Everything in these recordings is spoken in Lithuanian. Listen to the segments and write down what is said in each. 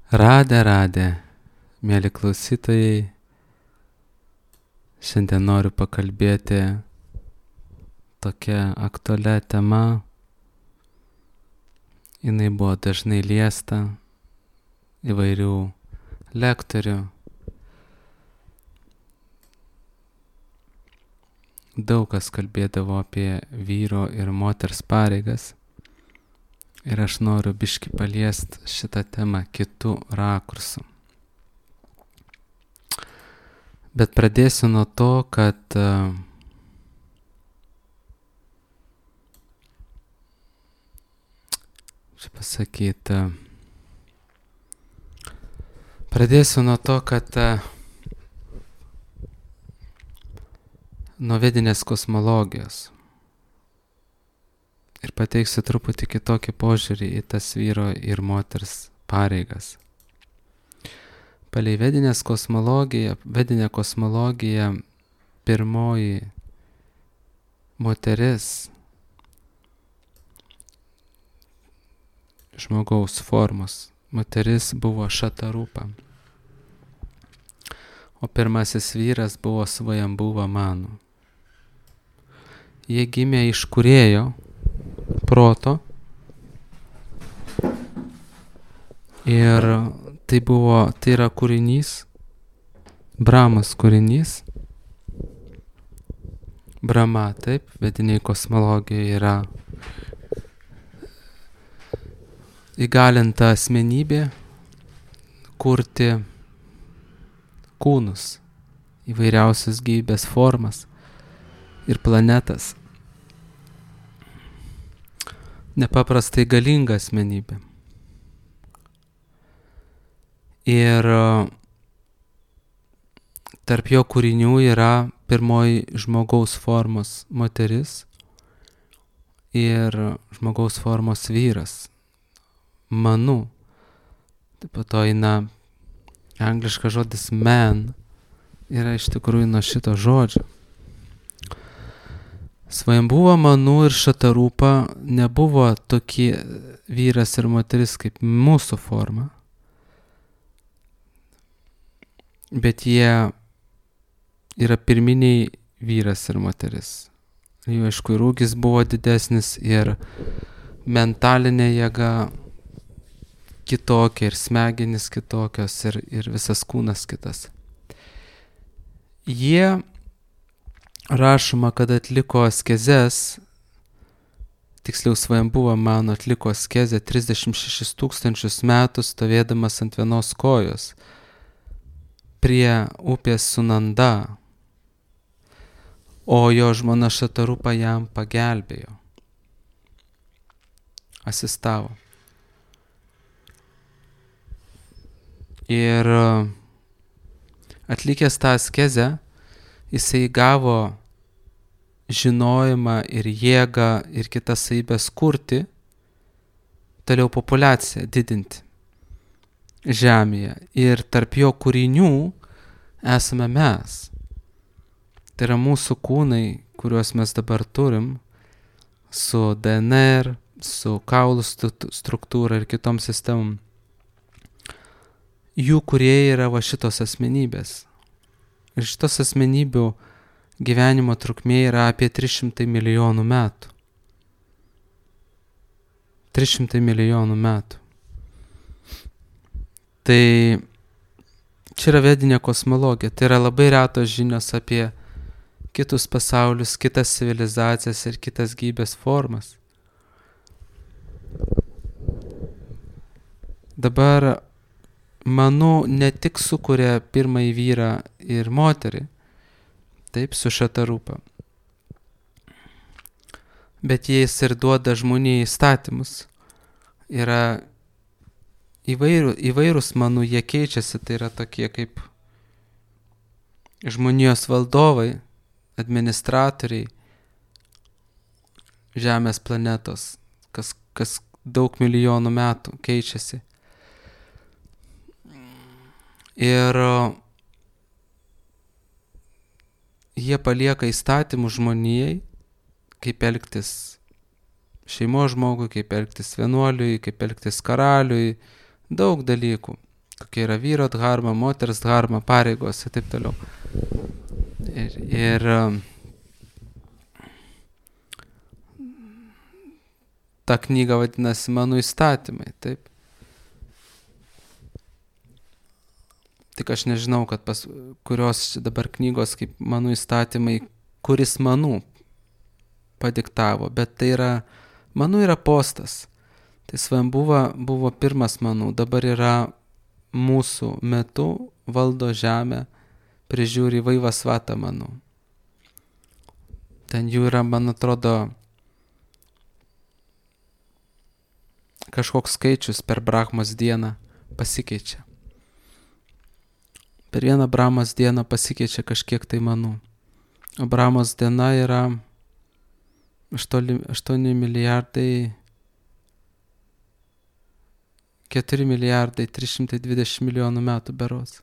Radę, mėly klausytojai, šiandien noriu pakalbėti tokia aktualia tema. Jinai buvo dažnai liesta įvairių lektorių. Daug kas kalbėdavo apie vyro ir moters pareigas. Ir aš noriu biškį paliesti šitą temą kitų rakursų. Bet pradėsiu nuo to, kad nuo vedinės kosmologijos. Ir pateiksiu truputį kitokį požiūrį į tas vyro ir moters pareigas. Palei vedinę kosmologiją pirmoji moteris žmogaus formos moteris buvo Šatarūpa, o pirmasis vyras buvo Svajambūva Manu. Jie gimė iš Kūrėjo proto ir tai yra kūrinys, Brahmos kūrinys. Brahma, taip, vediniai kosmologijoje yra įgalinta asmenybė kurti kūnus, įvairiausias gyvybės formas ir planetas. Nepaprastai galinga asmenybė. Ir tarp jo kūrinių yra pirmoji žmogaus formos moteris ir žmogaus formos vyras, Manu. Taip pat to eina angliškas žodis man, yra iš tikrųjų nuo šito žodžio. Svajambūva Manu ir Šatarūpa nebuvo tokie vyras ir moteris kaip mūsų forma, bet jie yra pirminiai vyras ir moteris. Jų aišku ir ūgis buvo didesnis ir mentalinė jėga kitokia ir smegenys kitokios ir visas kūnas kitas. Jie rašoma, kad atliko askezes, tiksliau Svajambūva Manu atliko askezę 36 000 metų stovėdamas ant vienos kojos prie upės Sunanda, o jo žmona Šatarūpa jam pagelbėjo, asistavo. Ir atlikęs tą askezę, jisai gavo žinojimą ir jėgą ir kitas savybės kurti, toliau populiaciją didinti žemėje. Ir tarp jo kūrinių esame mes. Tai yra mūsų kūnai, kuriuos mes dabar turim, su DNR, su kaulų struktūra ir kitom sistemom. Jų kūrėjai yra va šitos asmenybės. Ir šitos asmenybių gyvenimo trukmė yra apie 300 milijonų metų. 300 milijonų metų. Tai čia yra vedinė kosmologija. Tai yra labai retos žinios apie kitus pasaulius, kitas civilizacijas ir kitas gyvybės formas. Dabar Manu ne tik sukuria pirmąjį vyrą ir moterį, taip, su Šatarūpa, bet jis ir duoda žmonijai įstatymus. Yra įvairūs Manu, jie keičiasi, tai yra tokie kaip žmonijos valdovai, administratoriai Žemės planetos, kas daug milijonų metų keičiasi. Ir jie palieka įstatymų žmonijai, kaip elgtis šeimos žmogui, kaip elgtis vienuoliui, kaip elgtis karaliui, daug dalykų. kokia yra vyro dharma, moters dharma, pareigos ir taip toliau. Ir ta knyga vadinasi Mano įstatymai, taip. Tik aš nežinau, kad kurios dabar knygos kaip Mano įstatymai, kuris Manų padiktavo, bet tai yra, Manų yra postas. Tai Svajambuva buvo pirmas Manų, dabar yra mūsų metu, valdo žemę, prižiūri Vaivasvata Manų. Ten jų yra, man atrodo, kažkoks skaičius per Brahmos dieną pasikeičia. Per vieną Brahmos dieną pasikeičia kažkiek tai Manų. O Brahmos diena yra 8 milijardai 4 milijardai 320 milijonų metų berods.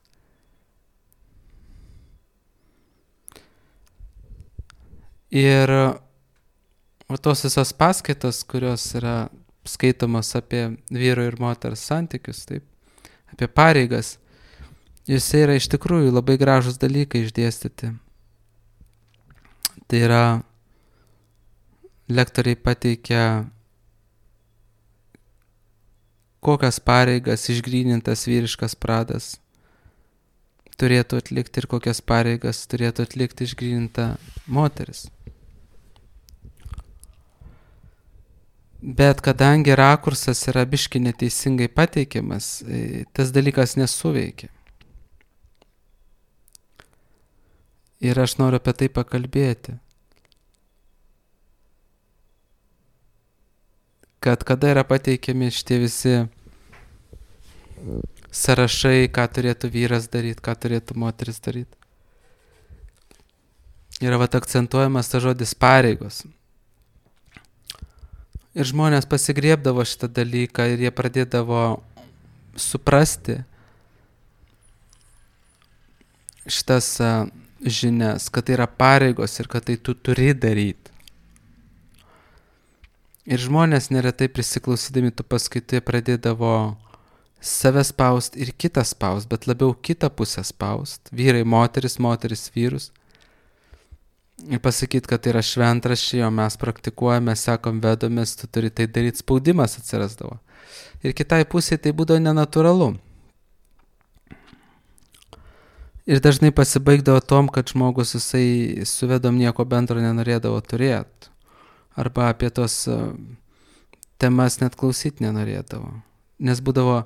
Ir tos visas paskaitos, kurios yra skaitomos apie vyro ir moters santykius, taip, apie pareigas, jose yra iš tikrųjų labai gražus dalykai išdėstyti. Tai yra, lektoriai pateikia, kokias pareigas išgrynintas vyriškas pradas turėtų atlikti ir kokias pareigas turėtų atlikti išgryninta moteris. Bet kadangi rakursas yra biški neteisingai pateikiamas, tas dalykas nesuveikia. Ir aš noriu apie tai pakalbėti. Kad kada yra pateikiami šitie visi sąrašai, ką turėtų vyras daryti, ką turėtų moteris daryti. Yra akcentuojamas tas žodis pareigos. Ir žmonės pasigriebdavo šitą dalyką ir jie pradėdavo suprasti šitas žinias, kad tai yra pareigos ir kad tai tu turi daryti. Ir žmonės neretai prisiklausydami tų paskaitų pradėdavo save spaust ir kitą spaust, bet labiau kitą pusę spaust. Vyrai moteris, moteris vyrus. Ir pasakyti, kad tai yra šventraščiai, o mes praktikuojame, sekom vedomis, tu turi tai daryti, spaudimas atsirasdavo. Ir kitai pusėje tai būdavo nenatūralu. Ir dažnai pasibaigdavo tom, kad žmogus jisai su vedom nieko bendro nenorėdavo turėti. Arba apie tos temas net klausyti nenorėdavo. Nes būdavo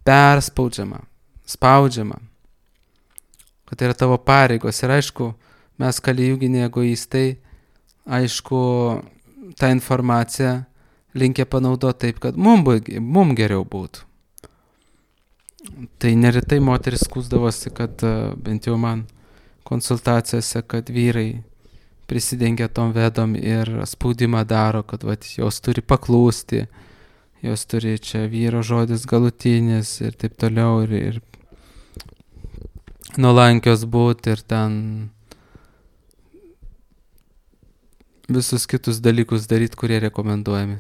perspaudžiama, spaudžiama, kad tai yra tavo pareigos. Ir aišku, mes kalijuginiai egoistai, aišku, tą informaciją linkę panaudoti taip, kad mum geriau būtų. Tai neretai moteris skųsdavosi, kad bent jau man konsultacijose, kad vyrai prisidengia tom vedom ir spaudimą daro, kad jos turi paklūsti, jos turi čia vyro žodis galutinis ir taip toliau ir nuolankios būti ir ten visus kitus dalykus daryti, kurie rekomenduojami.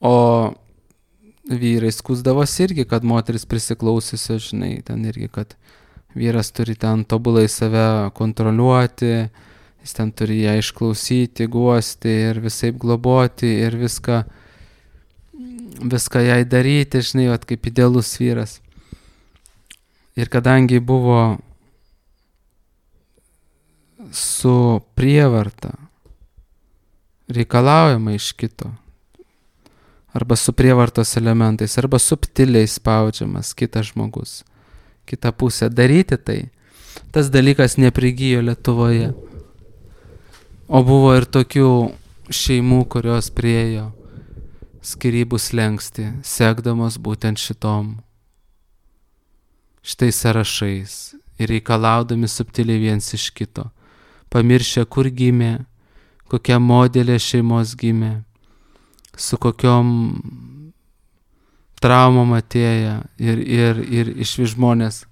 O vyrai skųsdavosi irgi, kad moteris prisiklausysi, žinai, ten irgi, kad vyras turi ten tobulai save kontroliuoti, jis ten turi ją išklausyti, guosti ir visaip globoti ir viską jai daryti, žinai, kaip idealus vyras. Ir kadangi buvo su prievarta reikalaujama iš kito, arba su prievartos elementais, arba subtiliai spaudžiamas kitas žmogus, kitą pusę daryti tai, tas dalykas neprigijo Lietuvoje. O buvo ir tokių šeimų, kurios priėjo skyrybų slenkstį, sekdamos būtent šitais sąrašais ir reikalaudami subtiliai viens iš kito, pamiršę, kur gimė, kokia modelė šeimos gimė, su kokiom traumom atėję ir išvis žmonės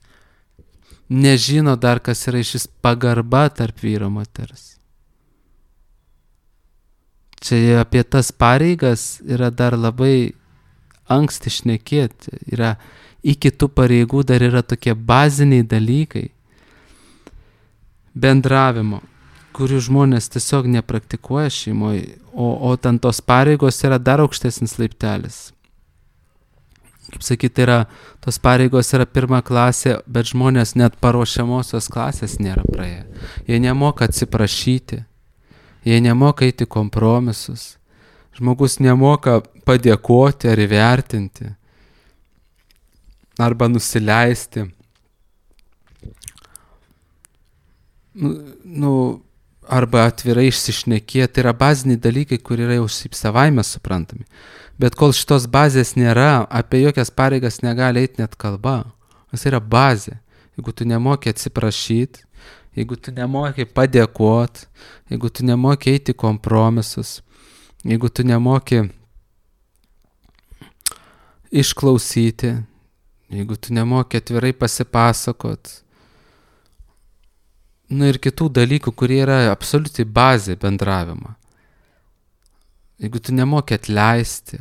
nežino dar, kas yra išvis pagarba tarp vyro moters. Čia apie tas pareigas yra dar labai anksti šnekėti. Yra iki tų pareigų dar yra tokie baziniai dalykai bendravimo, kurių žmonės tiesiog nepraktikuoja šeimoje, o ten tos pareigos yra dar aukštesnis laiptelis. Kaip sakyti, tos pareigos yra 1 klasė, bet žmonės net paruošiamosios klasės nėra praėję. Jie nemoka atsiprašyti, jie nemoka eiti kompromisus, žmogus nemoka padėkoti ar įvertinti, arba nusileisti. Arba atvirai išsišnekėti, tai yra baziniai dalykai, kur yra jau savaime suprantami. Bet kol šitos bazės nėra, apie jokias pareigas negali eiti net kalba. Tas yra bazė. Jeigu tu nemoki atsiprašyti, jeigu tu nemoki padėkoti, jeigu tu nemoki eiti kompromisus, jeigu tu nemoki išklausyti, jeigu tu nemoki atvirai pasipasakot, ir kitų dalykų, kurie yra absoliučiai bazė bendravimą. Jeigu tu nemoki atleisti,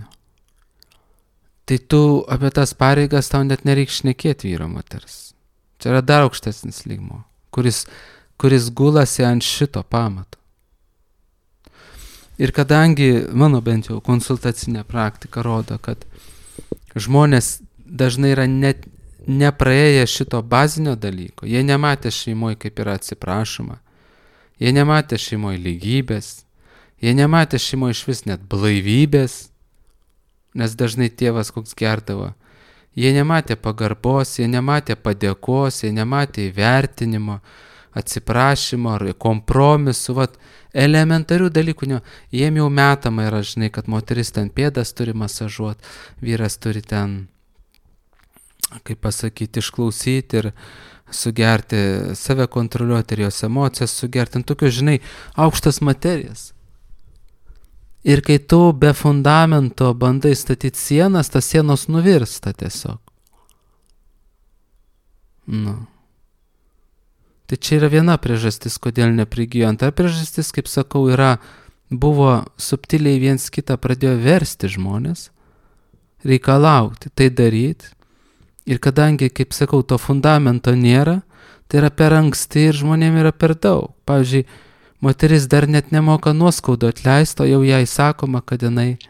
tai tu apie tas pareigas tau net nereikia šnekėti vyro moters. Čia yra dar aukštesnis lygmuo, kuris gulasi ant šito pamato. Ir kadangi mano bent jau konsultacinė praktika rodo, kad žmonės dažnai yra net nepraėję šito bazinio dalyko, jie nematė šeimoje, kaip yra atsiprašoma, jie nematė šeimoje lygybės, jie nematė šeimoje iš vis net blaivybės, nes dažnai tėvas koks gerdavo, jie nematė pagarbos, jie nematė padėkos, jie nematė įvertinimo, atsiprašymo ar kompromisų, elementarių dalykų, jiem jau metama yra, žinai, kad moteris ten pėdas turi masažuot, vyras turi ten, kaip pasakyti, išklausyti ir sugerti, save kontroliuoti ir jos emocijas sugerti, ant tokios, žinai, aukštas materijas. Ir kai tu be fundamento bandai statyti sienas, tas sienos nuvirsta tiesiog. Tai čia yra viena priežastis, kodėl neprigijo. Antra priežastis, kaip sakau, buvo subtiliai viens kitą pradėjo versti žmonės, reikalauti, tai daryti. Ir kadangi, kaip sakau, to fundamento nėra, tai yra per anksti ir žmonėm yra per daug. Pavyzdžiui, moteris dar net nemoka nuoskaudų atleisto, jau jai sakoma, kad jinai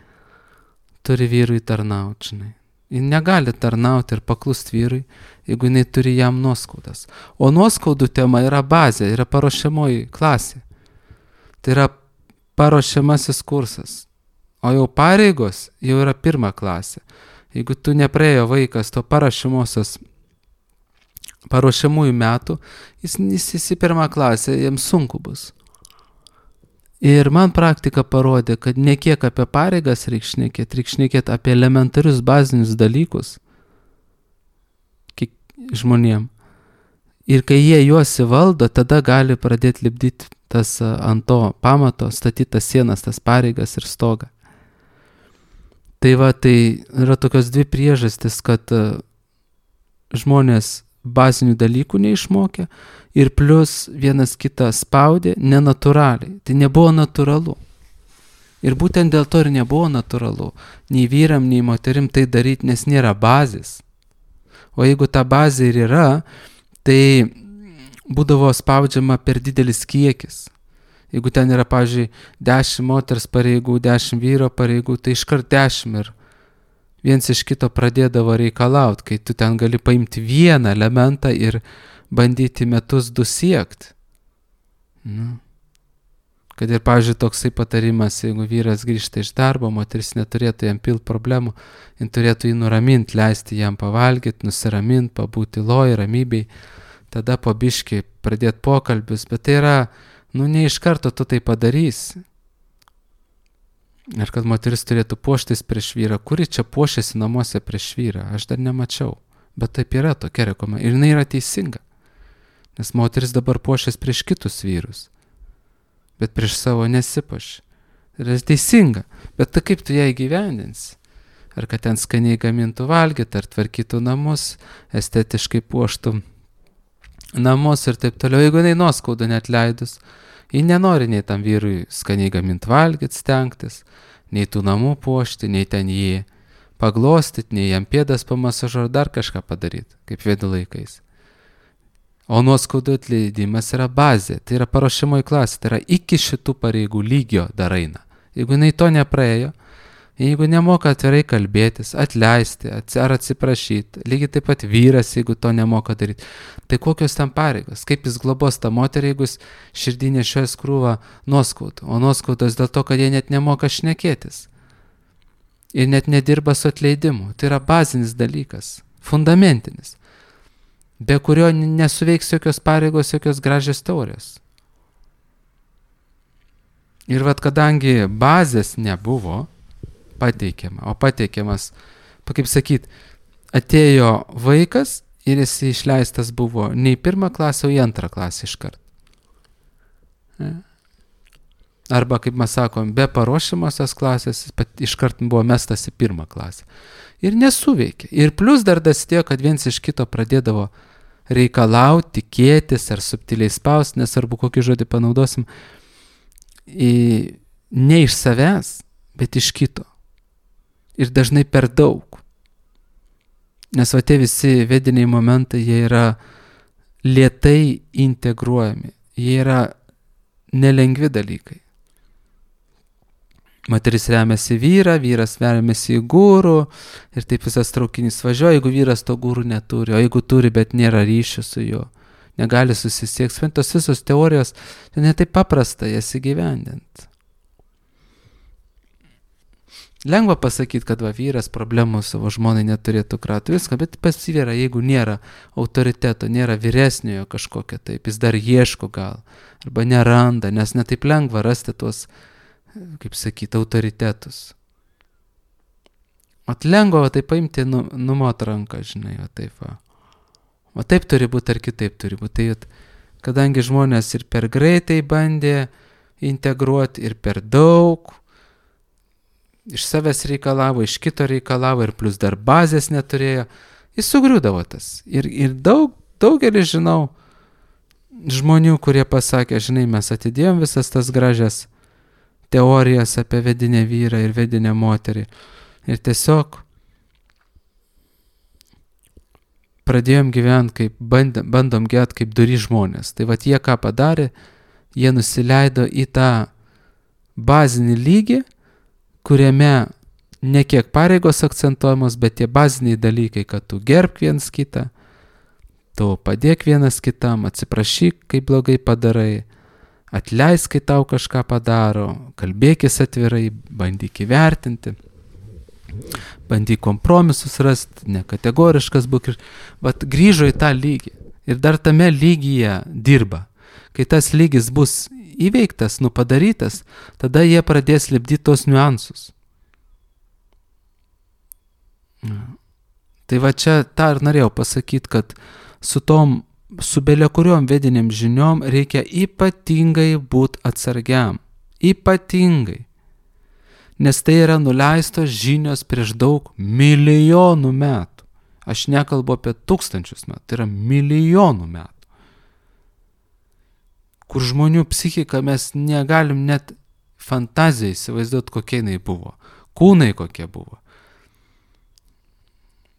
turi vyrui tarnauti, žinai. Ji negali tarnauti ir paklust vyrui, jeigu jinai turi jam nuoskaudas. O nuoskaudų tema yra bazė, yra paruošiamoji klasė. Tai yra paruošiamasis kursas. O jau pareigos jau yra 1 klasė. Jeigu tu nepraėjo vaikas to paruošiamųjų metų, jis į 1 klasę, jiems sunku bus. Ir man praktika parodė, kad ne kiek apie pareigas reikia šnekėti apie elementarius bazinius dalykus žmonėm. Ir kai jie juos įvaldo, tada gali pradėti lipdyti tas ant to pamato, statyti tas sienas, tas pareigas ir stogą. Tai yra tokios 2 priežastis, kad žmonės bazinių dalykų neišmokė ir plus vienas kitą spaudė nenatūraliai. Tai nebuvo natūralu. Ir būtent dėl to ir nebuvo natūralu nei vyram, nei moterim tai daryti, nes nėra bazės. O jeigu ta bazė ir yra, tai būdavo spaudžiama per didelis kiekis. Jeigu ten yra, pavyzdžiui, 10 moters pareigų, 10 vyro pareigų, tai iškart 10 ir viens iš kito pradėdavo reikalauti, kai tu ten gali paimti vieną elementą ir bandyti metus 2 siekti. Kad ir, pavyzdžiui, toksai patarimas, jeigu vyras grįžta iš darbo, moteris neturėtų jam pilti problemų, jin turėtų jį nuraminti, leisti jam pavalgyti, nusiraminti, pabūti loj, ramybei, tada po biškį pradėti pokalbius, bet tai yra ne iš karto tu tai padarysi. Ir kad moteris turėtų puoštis prieš vyrą. Kuri čia puošiasi namuose prieš vyrą? Aš dar nemačiau. Bet taip yra tokia rekomendacija. Ir jinai yra teisinga. Nes moteris dabar puošiasi prieš kitus vyrus. Bet prieš savo nesipuoši. Tai yra teisinga. Bet tai kaip tu ją įgyvendinsi? Ar kad ten skaniai gamintų valgyti, ar tvarkytų namus, estetiškai puoštų namus ir taip toliau. Jeigu jinai nuoskaudą net leidus, ji nenori nei tam vyrui skaniai gaminti valgyti, stengtis, nei tų namų puošti, nei ten jį paglostyti, nei jam pėdas pamasažuoti, dar kažką padaryti, kaip Vedų laikais. O nuoskaudų atleidimas yra bazė, tai yra paruošiamoji klasė, tai yra iki šitų pareigų lygio dar eina. Jeigu jinai to nepraėjo, jeigu nemoka atvirai kalbėtis, atleisti ar atsiprašyti, lygiai taip pat vyras, jeigu to nemoka daryti, tai kokios ten pareigos, kaip jis globos tą moterį, jeigu jis širdį nešiojas krūvą nuoskaudų, o nuoskaudos dėl to, kad jie net nemoka šnekėtis ir net nedirba su atleidimu. Tai yra bazinis dalykas, fundamentinis, be kurio nesuveiks jokios pareigos, jokios gražios teorijos. Ir vat kadangi bazės nebuvo pateikiama, o pateikiamas, kaip sakyt, atėjo vaikas ir jis išleistas buvo ne į 1. klasę, o į 2. klasę iškart. Arba, kaip mes sakom, be paruošiamosios klasės iškart buvo mestas į 1. klasę. Ir nesuveikė. Ir plus dar dasidėjo, kad viens iš kito pradėdavo reikalauti, tikėtis ar subtiliai spausti, nesvarbu kokį žodį panaudosim, ne iš savęs, bet iš kito. Ir dažnai per daug. Nes va tie visi vediniai momentai, jie yra lėtai integruojami. Jie yra nelengvi dalykai. Moteris remiasi vyrą, vyras remiasi į gūrų ir taip visas traukinys važiuoja, jeigu vyras to gūrų neturi, o jeigu turi, bet nėra ryšių su juo, negali susisiekti. Tos visos teorijos, tai ne taip paprasta jas įgyvendinti. Lengva pasakyti, kad va vyras problemų savo žmonai neturėtų kratų viską, bet pasivyra, jeigu nėra autoriteto, nėra vyresniojo kažkokio taip, jis dar ieško gal, arba neranda, nes netaip lengva rasti tuos, kaip sakyti, autoritetus. Vat lengva va taip paimti, numot ranką, žinai, va taip va. Va taip turi būti ar kitaip turi būti. Tai, kadangi žmonės ir per greitai bandė integruoti, ir per daug, iš savęs reikalavo, iš kito reikalavo, ir plus dar bazės neturėjo, jis sugriūdavo tas. Ir daugelis žinau žmonių, kurie pasakė, žinai, mes atidėjom visas tas gražias teorijas apie vedinę vyrą ir vedinę moterį. Ir tiesiog pradėjom gyventi, kaip bandom gyventi kaip duri žmonės. Tai vat jie ką padarė, jie nusileido į tą bazinį lygį, kuriame ne kiek pareigos akcentuojamos, bet tie baziniai dalykai, kad tu gerbk vienas kitą, tu padėk vienas kitam, atsiprašyk, kai blogai padarai, atleisk, kai tau kažką padaro, kalbėkis atvirai, bandyk įvertinti, bandyk kompromisus rasti, nekategoriškas būk. Vat grįžo į tą lygį ir dar tame lygyje dirba. Kai tas lygis bus įveiktas, padarytas, tada jie pradės lipdyti tos niuansus. Tai va čia tą ir norėjau pasakyti, kad su belia kuriom vediniam žiniom reikia ypatingai būti atsargiam. Ypatingai. Nes tai yra nuleistos žinios prieš daug milijonų metų. Aš nekalbu apie 1000 metų, tai yra milijonų metų. Kur žmonių psichika mes negalim net fantazijai įsivaizduoti, kokie jinai buvo. Kūnai kokie buvo.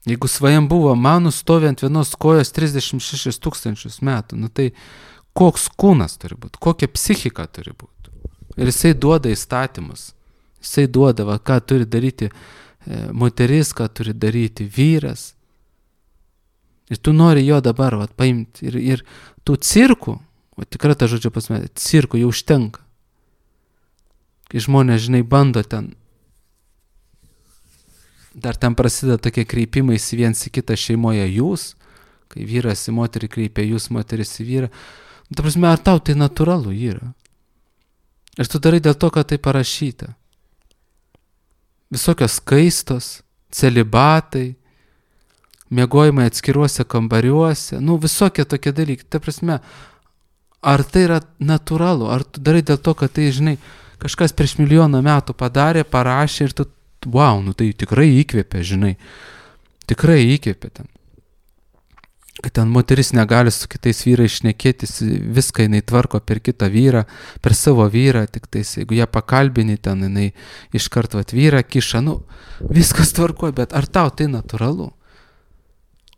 Jeigu svajam buvo manų stovi ant vienos kojos 36 000 metų, tai koks kūnas turi būti, kokia psichika turi būti. Ir jisai duoda įstatymus. Jisai duoda, ką turi daryti moteris, ką turi daryti vyras. Ir tu nori jo dabar paimti. Ir tų cirkų, tikrai tą žodžią pasmė, cirkų jau užtenka. Kai žmonės, žinai, bando ten, dar ten prasideda tokie kreipimais viens į kitą šeimoje jūs, kai vyras į moterį kreipia jūs, moteris į vyrą. Ta prasme, ar tau tai natūralu yra? Ir tu darai dėl to, kad tai parašyta. Visokios skaistos, celibatai, miegojimai atskiruose kambariuose, visokie tokie dalykai. Ta prasme, ar tai yra natūralu? Ar tu darai dėl to, kad tai, žinai, kažkas prieš milijoną metų padarė, parašė ir tu tai tikrai įkvėpė, žinai. Tikrai įkvėpė ten. kad ten moteris negali su kitais vyrais šnekėtis, viską jinai tvarko per kitą vyrą, per savo vyrą, tik tais, jeigu ją pakalbini, ten jinai iškart vat vyrą kiša, viskas tvarko, bet ar tau tai natūralu?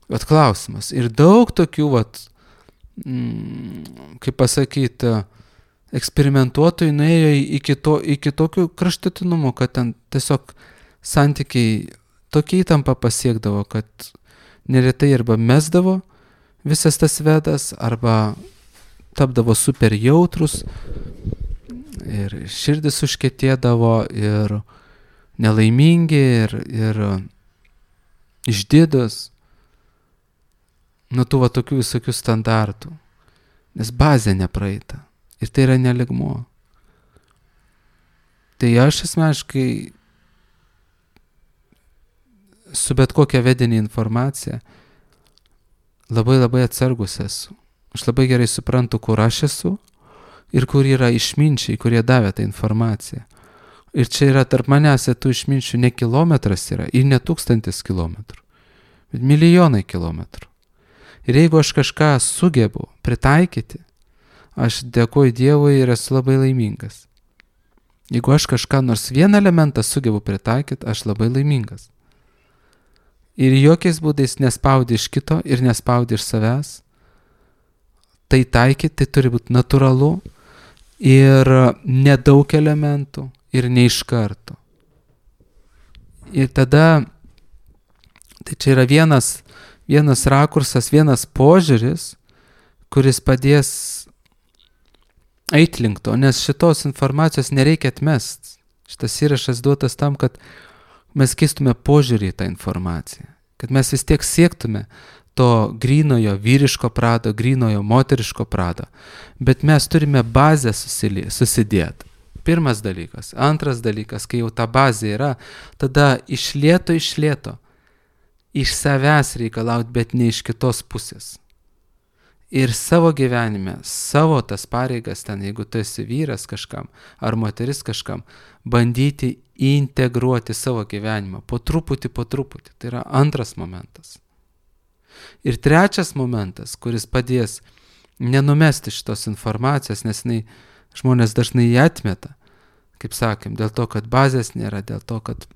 Vat klausimas. Ir daug tokių, kaip pasakyti, eksperimentuotojų nuėjo iki tokių kraštutinumų, kad ten tiesiog santykiai tokia įtampa pasiekdavo, kad neretai arba mesdavo visas tas vedas, arba tapdavo super jautrus ir širdis užkietėdavo ir nelaimingi ir išdidus nuo tų tokių visokių standartų, nes bazė nepraeita ir tai yra neligmuo. Tai aš asmeniškai su bet kokia vedinė informacija labai labai atsargus esu. Aš labai gerai suprantu, kur aš esu ir kur yra išminčiai, kurie davė tą informaciją. Ir čia yra tarp manęs tų išminčių ne kilometras yra ir ne 1000 kilometrų, bet milijonai kilometrų. Ir jeigu aš kažką sugebu pritaikyti, aš dėkoju Dievui ir esu labai laimingas. Jeigu aš kažką nors vieną elementą sugebu pritaikyti, aš labai laimingas. Ir jokiais būdais nespaudi iš kito ir nespaudi iš savęs. Tai taikyti, tai turi būti natūralu ir nedaug elementų ir ne iš karto. Ir tada, tai čia yra vienas rakursas, vienas požiūris, kuris padės eiti link to, nes šitos informacijos nereikia atmesti. Šitas įrašas duotas tam, kad mes keistume požiūrį į tą informaciją, kad mes vis tiek siektume to grynojo vyriško prado, grynojo moteriško prado, bet mes turime bazę susidėti. Pirmas dalykas. Antras dalykas, kai jau ta bazė yra, tada iš lėto, iš savęs reikalauti, bet ne iš kitos pusės. Ir savo gyvenime, savo tas pareigas ten, jeigu tu esi vyras kažkam ar moteris kažkam, bandyti integruoti savo gyvenimą po truputį. Tai yra antras momentas. Ir trečias momentas, kuris padės nenumesti šitos informacijos, nes žmonės dažnai ją atmeta, kaip sakėm, dėl to, kad bazės nėra, dėl to, kad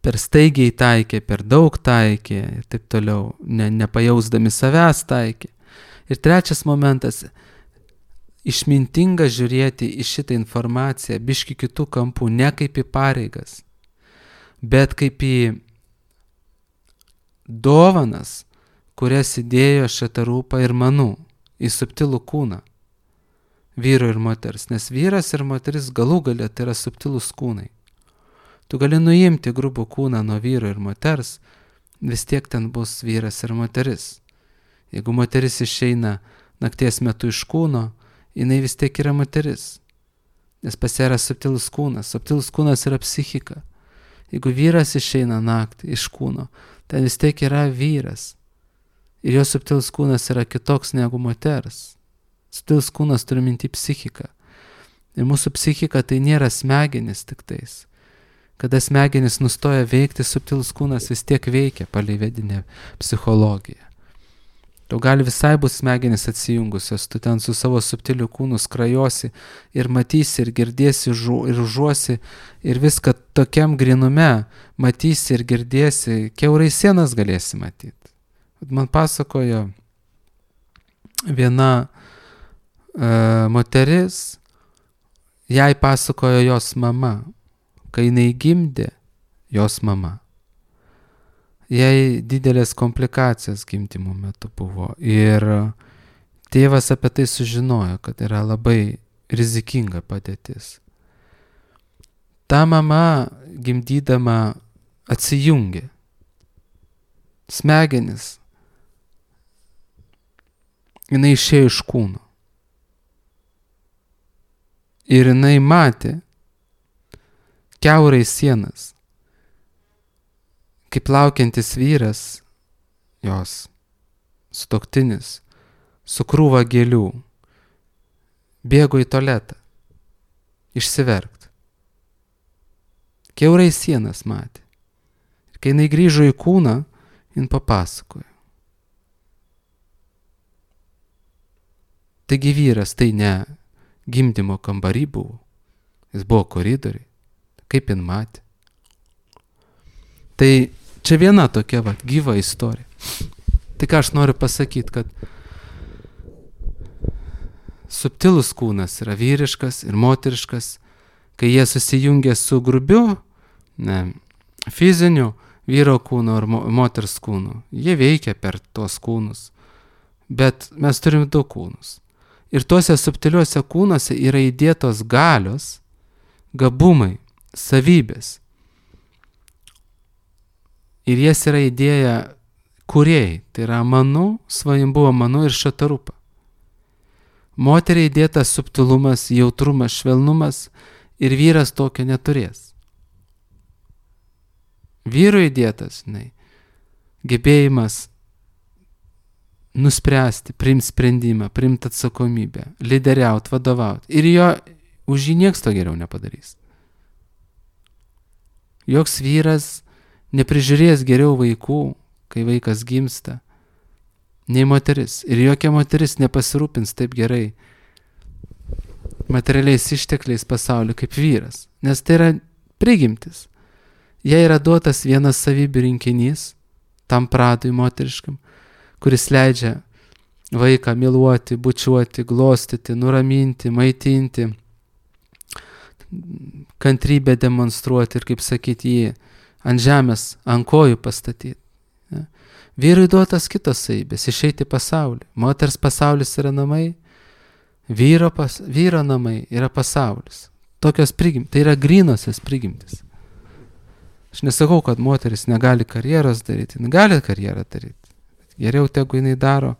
per staigiai taikė, per daug taikė ir taip toliau, nepajausdami savęs taikė. Ir trečias momentas, išmintinga žiūrėti į šitą informaciją biški kitų kampų, ne kaip į pareigas, bet kaip į dovanas, kurias įdėjo Šatarūpa ir Manu į subtilų kūną, vyro ir moters, nes vyras ir moteris galų galia tai yra subtilūs kūnai. Tu gali nuimti grubų kūną nuo vyro ir moters, vis tiek ten bus vyras ir moteris. Jeigu moteris išeina nakties metu iš kūno, jinai vis tiek yra moteris, nes pas ją yra subtilus kūnas yra psichika. Jeigu vyras išeina naktį iš kūno, ten vis tiek yra vyras. Ir jo subtilus kūnas yra kitoks negu moters. Subtilus kūnas turi minti psichiką. Ir mūsų psichika tai nėra smegenis tik tais. Kada smegenis nustoja veikti, subtilus kūnas vis tiek veikia palei vedinę psichologiją. Tu gali visai bus smegenis atsijungusios, tu ten su savo subtiliu kūnu skrajosi ir matysi ir girdėsi ir užuosi ir viską tokiam grinume matysi ir girdėsi, kiaurai sienas galėsi matyti. Man pasakojo viena moteris, jai pasakojo jos mama, kai jinai gimdė jos mama. Jai didelės komplikacijos gimdymo metu buvo ir tėvas apie tai sužinojo, kad yra labai rizikinga padėtis. Ta mama gimdydama atsijungė. Smegenis. Jinai išėjo iš kūno. Ir jinai matė kiaurai sienas, kaip laukiantis vyras, jos sutuoktinis, su krūva gėlių, bėgo į tualetą, išsiverkt. Kiaurai sienas matė. Ir kai jinai grįžo į kūną, jin papasakojo. Taigi vyras tai ne gimdymo kambarį buvo, jis buvo koridoriai, kaip jin matė. Tai čia viena tokia gyva istorija. Tai ką aš noriu pasakyti, kad subtilus kūnas yra vyriškas ir moteriškas, kai jie susijungia su grubiu, fiziniu vyro kūnu ar moters kūnu. Jie veikia per tos kūnus, bet mes turim du kūnus. Ir tuose subtiliuose kūnuose yra įdėtos galios, gabumai, savybės. Ir jas yra įdėję kūrėjai, tai yra Manu, Svajambuva Manu ir Šatarupa. Moteriai įdėtas subtilumas, jautrumas, švelnumas ir vyras tokio neturės. Vyrui įdėtas, gebėjimas nuspręsti, priimti sprendimą, priimti atsakomybę, lyderiauti, vadovauti. Ir už jį nieks to geriau nepadarys. Joks vyras neprižiūrės geriau vaikų, kai vaikas gimsta, nei moteris. Ir jokia moteris nepasirūpins taip gerai materialiais ištekliais pasauliu kaip vyras. Nes tai yra prigimtis. Jai yra duotas vienas savybių rinkinys, tam pradui moteriškam, kuris leidžia vaiką myluoti, bučiuoti, glostyti, nuraminti, maitinti, kantrybę demonstruoti ir, kaip sakyti, jį ant žemės, ant kojų pastatyti. Vyrui duotas kitos savybės, išeiti į pasaulį. Moters pasaulis yra namai, vyro namai yra pasaulis. Tokios prigimtis, tai yra grynosios prigimtis. Aš nesakau, kad moteris negali karjeros daryti, gali karjerą daryti. Geriau tegu jinai daro,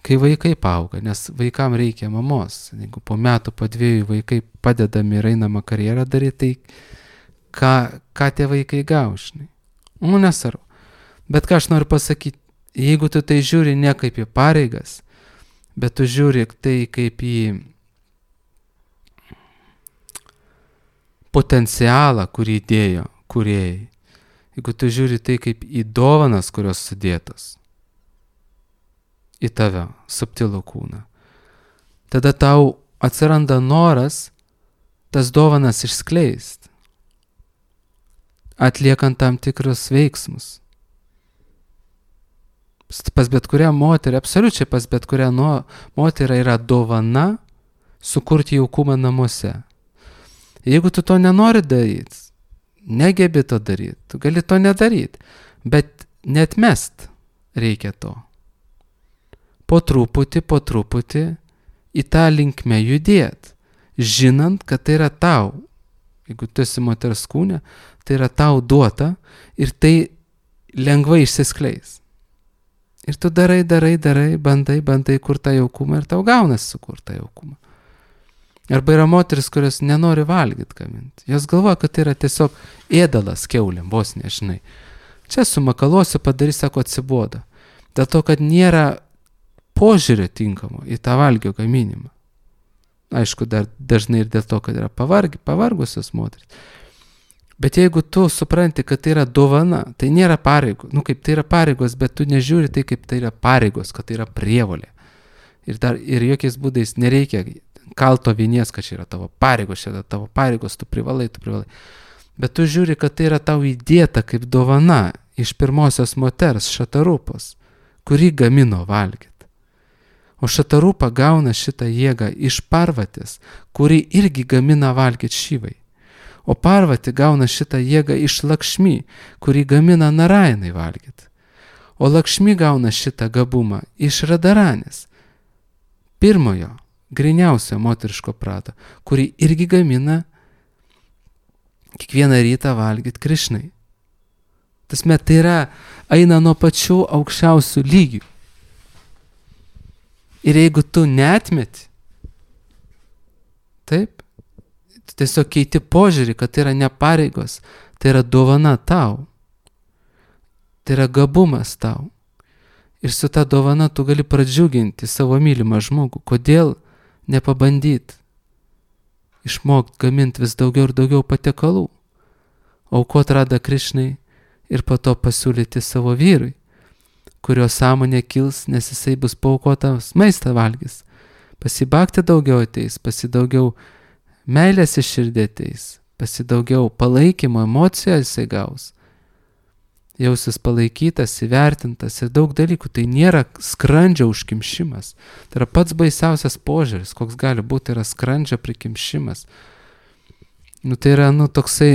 kai vaikai paauga, nes vaikam reikia mamos. Jeigu po metų, po 2 vaikai padedami ir einama karjerą daryti, tai ką tie vaikai gaušinai? Nesvarbu. Bet ką aš noriu pasakyti, jeigu tu tai žiūri ne kaip į pareigas, bet tu žiūri tai kaip į potencialą, kurį įdėjo kūrėjai, jeigu tu žiūri tai kaip į dovanas, kurios sudėtos į tave, subtilų kūną, tada tau atsiranda noras tas dovanas išskleisti, atliekant tam tikrus veiksmus. Pas bet kurią moterį, absoliučiai pas bet kurią moterį yra dovana sukurti jaukumą namuose. Jeigu tu to nenori daryti, negebi to daryti, tu gali to nedaryti, bet neatmest reikia to. Po truputį į tą linkmę judėti, žinant, kad tai yra tau. Jeigu tu esi moters kūne, tai yra tau duota ir tai lengvai išsiskleis. Ir tu darai, bandai kur tą jaukumą ir tau gaunas sukurt tą jaukumą. Arba yra moteris, kurios nenori valgyti gaminti. Jos galvoja, kad tai yra tiesiog ėdalas kiaulėm, vos nežinai. Čia sumakalosiu, padarys, sako, atsibodo. Dėl to, kad nėra požiūrio tinkamo į tą valgio gaminimą. Aišku, dar dažnai ir dėl to, kad yra pavargusios moteris. Bet jeigu tu supranti, kad tai yra dovana, tai nėra pareigos. Kaip tai yra pareigos, bet tu nežiūri tai, kaip tai yra pareigos, kad tai yra prievolė. Ir jokiais būdais nereikia kalto vinies, kad čia yra tavo pareigos, čia yra tavo pareigos, tu privalai. Bet tu žiūri, kad tai yra tau įdėta kaip dovana iš pirmosios moters, Šatarupos, kuri gamino valgyti. O Šatarupa gauna šitą jėgą iš Parvatės, kuri irgi gamina valgyti Šivai. O Parvati gauna šitą jėgą iš Lakšmi, kuri gamina Narainai valgyti. O Lakšmi gauna šitą gabumą iš Radaranės, pirmojo, griniausio moteriško prato, kuri irgi gamina kiekvieną rytą valgyti Krišnai. Tai yra, eina nuo pačių aukščiausių lygių. Ir jeigu tu neatmeti, taip, tu tiesiog keiti požiūrį, kad tai yra ne pareigos, tai yra dovana tau. Tai yra gabumas tau. Ir su ta dovana tu gali pradžiuginti savo mylimą žmogų. Kodėl nepabandyti išmokti gaminti vis daugiau ir daugiau patiekalų, aukot Radha Krišnai ir po to pasiūlyti savo vyrui, kurio sąmonė kils, nes jisai bus paaukotas maistą valgys. Pasibakti daugiau ateis, pasidaugiau meilės iš širdį ateis, pasidaugiau palaikymo, emocijų jisai gaus. Jausis palaikytas, įvertintas ir daug dalykų. Tai nėra skrandžio užkimšimas. Tai yra pats baisiausias požiūris, koks gali būti, yra skrandžio prikimšimas. Tai yra, toksai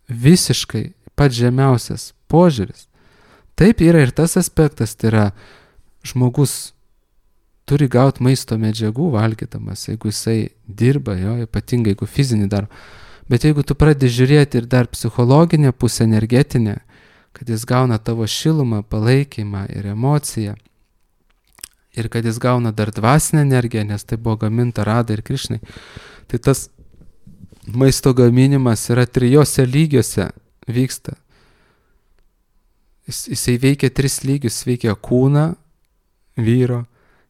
visiškai pats žemiausias požiūris. Taip yra ir tas aspektas, tai yra žmogus turi gauti maisto medžiagų valgydamas, jeigu jisai dirba, ypatingai jeigu fizinį darbą. Bet jeigu tu pradedi žiūrėti ir dar psichologinę pusę, energetinę, kad jis gauna tavo šilumą, palaikymą ir emociją, ir kad jis gauna dar dvasinę energiją, nes tai buvo gaminta Radai ir Krišnai, tai tas maisto gaminimas yra 3 lygiuose vyksta. Jisai veikia 3 lygius, veikia kūną vyro,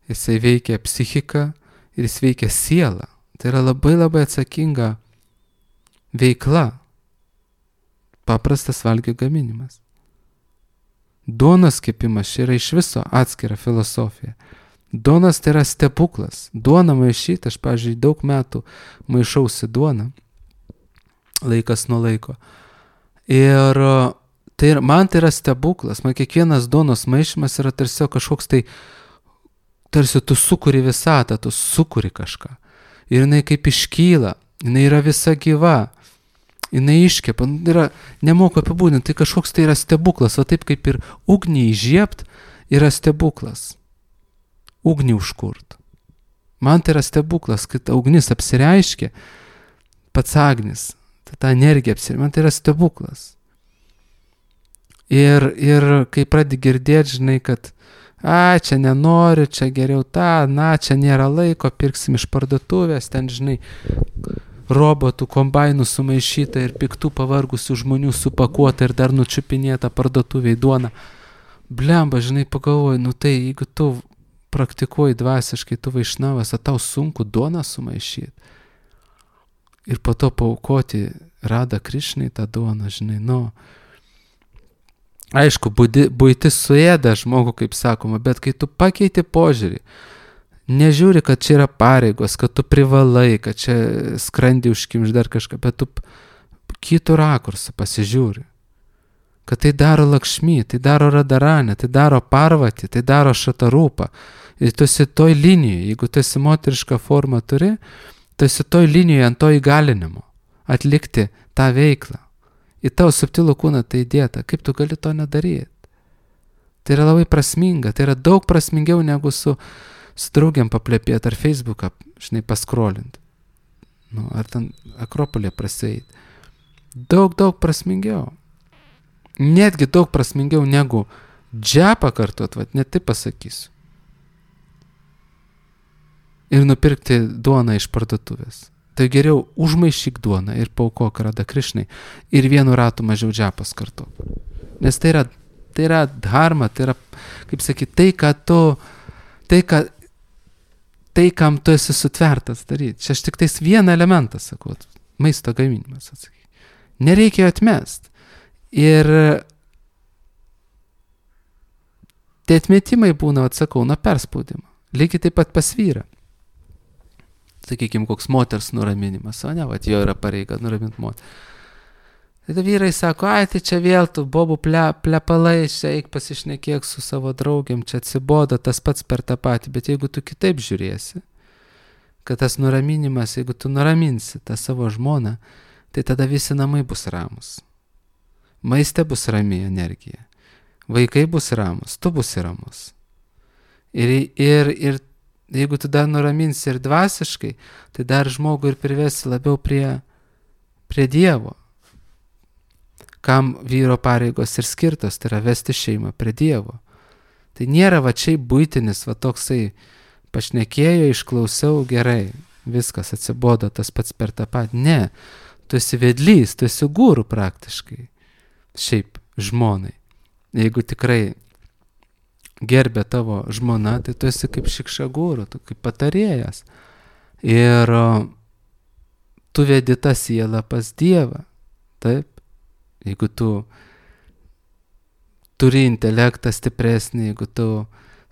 jisai veikia psichiką ir jis veikia sielą. Tai yra labai labai atsakinga veikla. Paprastas valgio gaminimas. Duonos kepimas čia yra iš viso atskira filosofija. Duonos tai yra stebuklas. Duona maišyti, aš, pavyzdžiui, daug metų maišausi duoną, laikas nuo laiko. Ir man tai yra stebuklas. Man kiekvienas duonos maišymas yra tarsi kažkoks tai, tarsi tu sukuri visatą, tu sukuri kažką. Ir jinai kaip iškyla, jinai yra visa gyva. Jinai iškepa, nemoku apibūdinti, tai kažkoks tai yra stebuklas, o taip kaip ir ugnį įžiebt yra stebuklas. Ugnį užkurt. Man tai yra stebuklas, kad ugnis apsireiškia, pats agnis, ta energija apsireiškia, man tai yra stebuklas. Ir kai pradedi girdėti, žinai, kad čia nenoriu, čia geriau čia nėra laiko, pirksim iš parduotuvės, ten, žinai, robotų, kombainų sumaišyta ir piktų pavargusių žmonių supakuota ir dar nučiupinėta parduotuviai duona. Blemba, žinai, pagalvoju, tai jeigu tu praktikuoji dvasiškai, tu vaišnavas, tau sunku duoną sumaišyti. Ir po to paaukoti Rada Krišnai tą duoną, žinai, aišku, buitis suėda žmogų, kaip sakoma, bet kai tu pakeiti požiūrį, nežiūri, kad čia yra pareigos, kad tu privalai, kad čia skrandį užkimš dar kažką, bet tu kitų rakursų pasižiūri. Kad tai daro Lakšmi, tai daro Radaranė, tai daro Parvati, tai daro Šatarūpa. Ir tu esi toj linijoje, jeigu tu esi moterišką formą turi, tu esi toj linijoje ant to įgalinimo atlikti tą veiklą. Į tavo subtilų kūną tai įdėta, kaip tu gali to nedaryti. Tai yra labai prasminga, tai yra daug prasmingiau negu su draugiam paplepėti ar Facebooką, žinai, paskrolint. Ar ten Akropolė praseit. Daug prasmingiau. Netgi daug prasmingiau negu džepą kartuot, net taip pasakysiu. Ir nupirkti duoną iš parduotuvės. Tai geriau užmaišyk duoną ir paaukok Rada Krišnai ir vienu ratu mažiau džepas kartuot. Nes tai yra dharma, tai yra, kaip sakyti, tai, kam tu esi sutvertas daryti. Čia aš tik tais vieną elementą sakau, maisto gaminimas, atsakyk. Nereikia atmest. Ir tie atmetimai būna, atsakau, nuo perspaudimo. Lygiai taip pat pas vyrą. Sakykime, koks moters nuraminimas, o ne, jo yra pareiga nuraminti moterį. Tai vyrai sako, tai čia vėl tu bobų plepalai, čia eik pasišnekėk su savo draugiam, čia atsibodo tas pats per tą patį, bet jeigu tu kitaip žiūrėsi, kad tas nuraminimas, jeigu tu nuraminsi tą savo žmoną, tai tada visi namai bus ramus. Maiste bus rami energija, vaikai bus ramus, tu busi ramus. Ir jeigu tu dar nuraminsi ir dvasiškai, tai dar žmogų ir privesi labiau prie Dievo. Kam vyro pareigos ir skirtos, tai yra vesti šeimą prie Dievo. Tai nėra čia buitinis, toksai pašnekėjo, išklausiau, gerai, viskas atsibodo tas pats per tą patį. Ne, tu esi vedlys, tu esi guru praktiškai. Šiaip žmonai. Jeigu tikrai gerbė tavo žmona, tai tu esi kaip šikšagūrų, tu kaip patarėjas. Ir tu vedi tą sielą pas Dievą. Taip? Jeigu tu turi intelektą stipresnį, jeigu tu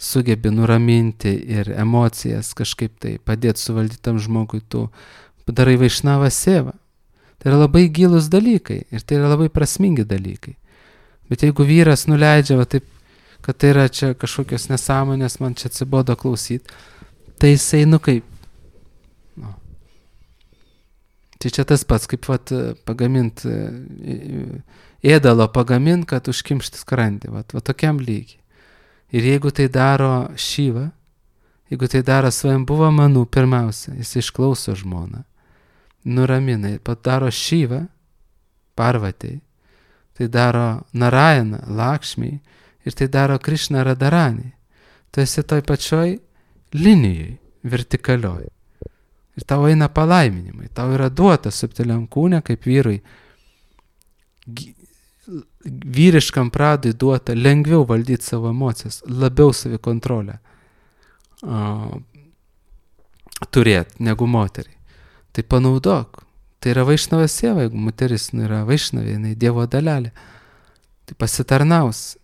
sugebi nuraminti ir emocijas kažkaip tai padėti suvaldyti tam žmogui, tu darai vaišnavą sėvą. Tai yra labai gilūs dalykai ir tai yra labai prasmingi dalykai. Bet jeigu vyras nuleidžia va taip, kad tai yra čia kažkokios nesąmonės, man čia atsibodo klausyti, tai jisai kaip. No. Tai čia tas pats, kaip vat pagamint, ėdalo pagamint, kad užkimšti skrandį, va tokiam lygiai. Ir jeigu tai daro Šiva, jeigu tai daro Svajambhuva Manu pirmiausia, jis išklauso žmoną, nuramina ir padaro Šiva, Parvatei, tai daro Narayana, Lakšmiai ir tai daro Krišna Radharani. Tu esi toj pačioj linijai, vertikalioj. Ir tau eina palaiminimai, tau yra duota subtiliam kūne, kaip vyrui, vyriškam pradui duota lengviau valdyti savo emocijas, labiau savikontrolę turėti negu moteriai. Tai panaudok. Tai yra vaišnava sėva, jeigu moteris yra vaišnavė, jinai Dievo dalelė. Tai pasitarnaus.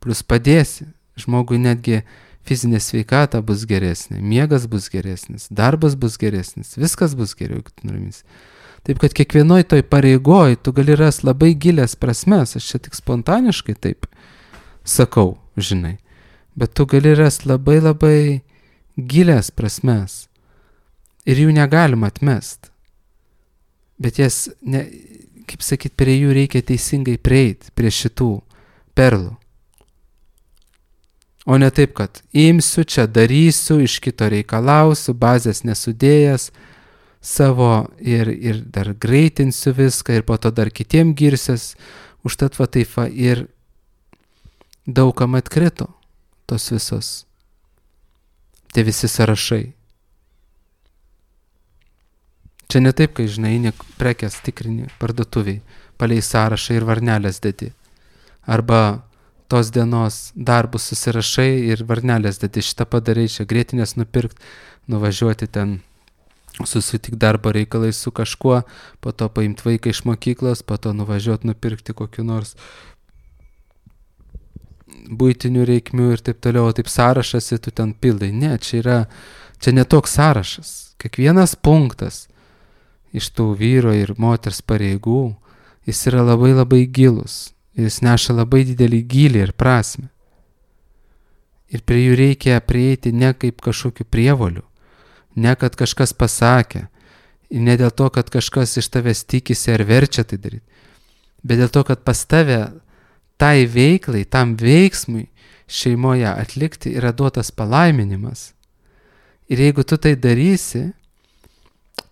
Plus padėsi. Žmogui netgi fizinė sveikata bus geresnė, miegas bus geresnis, darbas bus geresnis, viskas bus geriau, jeigu tu nuramins. Taip, kad kiekvienoj toj pareigoj tu gali rasti labai gilias prasmes, aš čia tik spontaniškai taip sakau, žinai, bet tu gali rasti labai labai gilias prasmes ir jų negalima atmest. Bet jas, kaip sakyt, prie jų reikia teisingai prieiti, prie šitų perlų. O ne taip, kad imsiu, čia darysiu, iš kito reikalausiu, bazės nesudėjęs savo ir dar greitinsiu viską ir po to dar kitiem girsias, užtat va taip va ir daugam atkrito tos visos, tie visi sąrašai. Čia ne taip, kai žinai, prekės tikrini parduotuviai, palei sąrašą ir varnelės dedi. Arba tos dienos darbus susirašai ir varnelės dedi, šitą padarai, čia grėtinės nupirkt, nuvažiuoti ten, susitik darbo reikalai su kažkuo, po to paimti vaiką iš mokyklos, po to nuvažiuoti nupirkti kokiu nors buitinių reikmių ir taip toliau, taip sąrašas ir tu ten pildai. Ne, čia ne toks sąrašas. Kiekvienas punktas iš tų vyro ir moters pareigų, jis yra labai labai gilus. Jis neša labai didelį gylį ir prasmę. Ir prie jų reikia prieiti ne kaip kažkokiu prievoliu, ne kad kažkas pasakė, ir ne dėl to, kad kažkas iš tavęs tikisi ar verčia tai daryti, bet dėl to, kad pas tave tai veiklai, tam veiksmui šeimoje atlikti yra duotas palaiminimas. Ir jeigu tu tai darysi,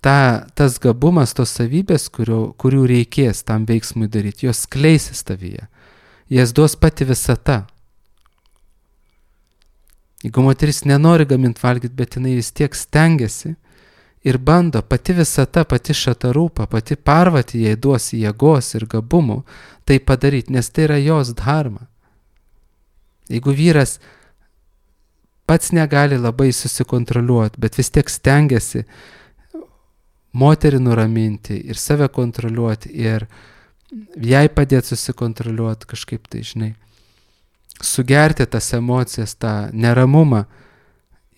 tas gabumas, tos savybės, kurių reikės tam veiksmui daryti, jos skleisis tavyje. Jas duos pati visata. Jeigu moteris nenori gaminti valgyti, bet jinai vis tiek stengiasi ir bando, pati visata, pati šatarūpa, pati Parvati jai duos jėgos ir gabumų tai padaryti, nes tai yra jos dharma. Jeigu vyras pats negali labai susikontroliuoti, bet vis tiek stengiasi moterį nuraminti ir save kontroliuoti ir jai padėti susikontroliuoti kažkaip tai, žinai, sugerti tas emocijas, tą neramumą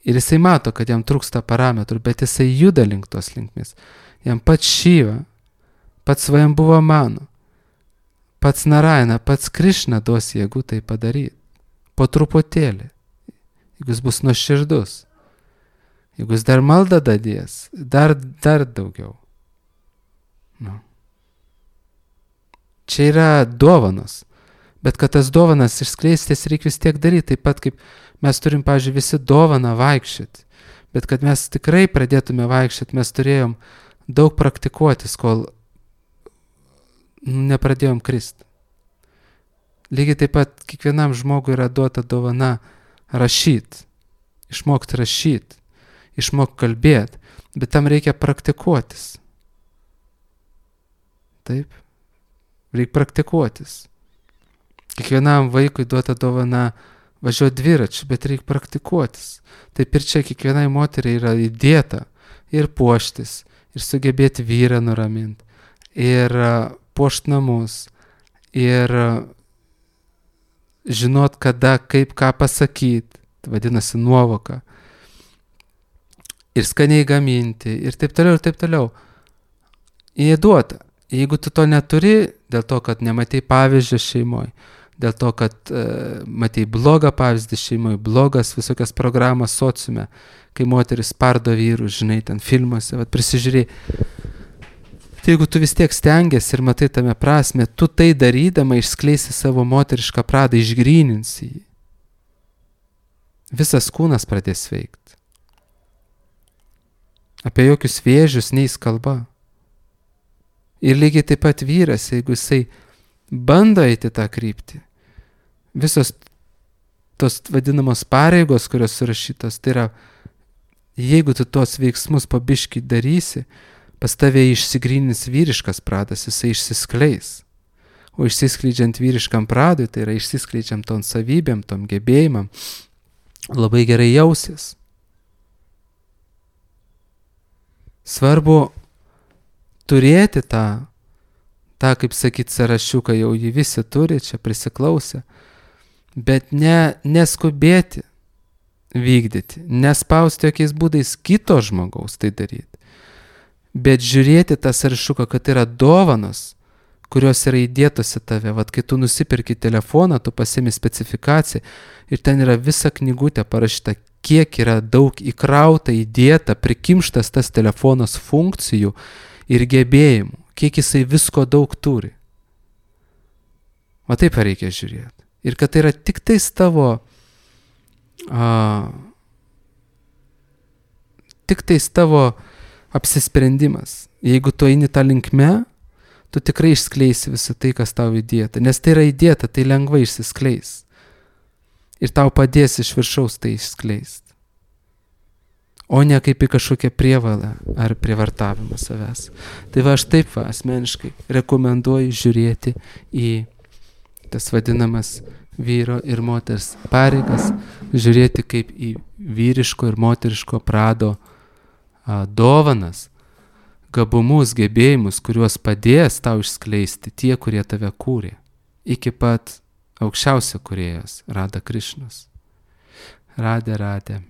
ir jisai mato, kad jam trūksta parametrų, bet jisai juda link tos linkmės. Jam pats Šiva, pats Svajambhuva Manu, pats Narayana, pats Krišna duos jėgų tai padaryti. Po truputėlį, jeigu jis bus nuoširdus. Jeigu jis dar maldą dadės, dar daugiau. No. Čia yra dovanos, bet kad tas dovanas išskleistis reikia vis tiek daryti, taip pat kaip mes turim, pavyzdžiui, visi dovaną vaikščioti, bet kad mes tikrai pradėtume vaikščioti, mes turėjom daug praktikuotis, kol nepradėjom kristi. Lygiai taip pat kiekvienam žmogui yra duota dovana rašyti, išmokti rašyti, išmok kalbėti, bet tam reikia praktikuotis. Taip, reikia praktikuotis. Kiekvienam vaikui duota dovana važiuoti dviračiu, bet reikia praktikuotis. Taip ir čia kiekvienai moteriai yra įdėta ir puoštis, ir sugebėti vyrą nuraminti, ir puošti namus, ir žinot kada, kaip ką pasakyti, vadinasi nuovoka. Ir skaniai gaminti, ir taip toliau, ir taip toliau. Jie duota. Jeigu tu to neturi, dėl to, kad nematei pavyzdžio šeimoje, dėl to, kad matei blogą pavyzdį šeimoje, blogas visokias programas sociume, kai moteris spardo vyrus, žinai, ten filmuose, prisižiūrėjai. Tai jeigu tu vis tiek stengiasi ir matai tame prasme, tu tai darydama išskleisi savo moterišką pradą, išgryninsi jį. Visas kūnas pradės veikti. Apie jokius vėžius neis kalba. Ir lygiai taip pat vyras, jeigu jisai bando eiti tą kryptį, visos tos vadinamos pareigos, kurios surašytos, tai yra, jeigu tu tuos veiksmus po biškį darysi, pas tave išsigrynins vyriškas pradas, jisai išsiskleis. O išsiskleidžiant vyriškam pradui, tai yra išsiskleidžiam tom savybėm, tom gebėjimam, labai gerai jausis. Svarbu turėti tą, kaip sakyt, sąrašiuką, jau jį visi turi, čia prisiklausę, bet neskubėti vykdyti, nespausti jokiais būdais kito žmogaus tai daryti, bet žiūrėti tą sąrašiuką, kad yra dovanos, kurios yra įdėtos į tave. Vat kai tu nusipirki telefoną, tu pasiimi specifikaciją ir ten yra visa knygutė parašyta, kiek yra daug įkrauta, įdėta, prikimštas tas telefonas funkcijų ir gebėjimų, kiek jisai visko daug turi. O taip reikia žiūrėti. Ir kad tai yra tik tais tavo apsisprendimas. Jeigu tu eini tą linkme, tu tikrai išskleisi visą tai, kas tau įdėta. Nes tai yra įdėta, tai lengvai išsiskleis. Ir tau padės iš viršaus tai išskleisti. O ne kaip į kažkokią prievalą ar prievartavimą savęs. Tai aš taip asmeniškai rekomenduoju žiūrėti į tas vadinamas vyro ir moters pareigas, žiūrėti kaip į vyriško ir moteriško prado dovanas, gabumus, gebėjimus, kuriuos padės tau išskleisti tie, kurie tave kūrė, iki pat aukščiausio kūrėjas, Radha Krišnos. Radhe, Radhe.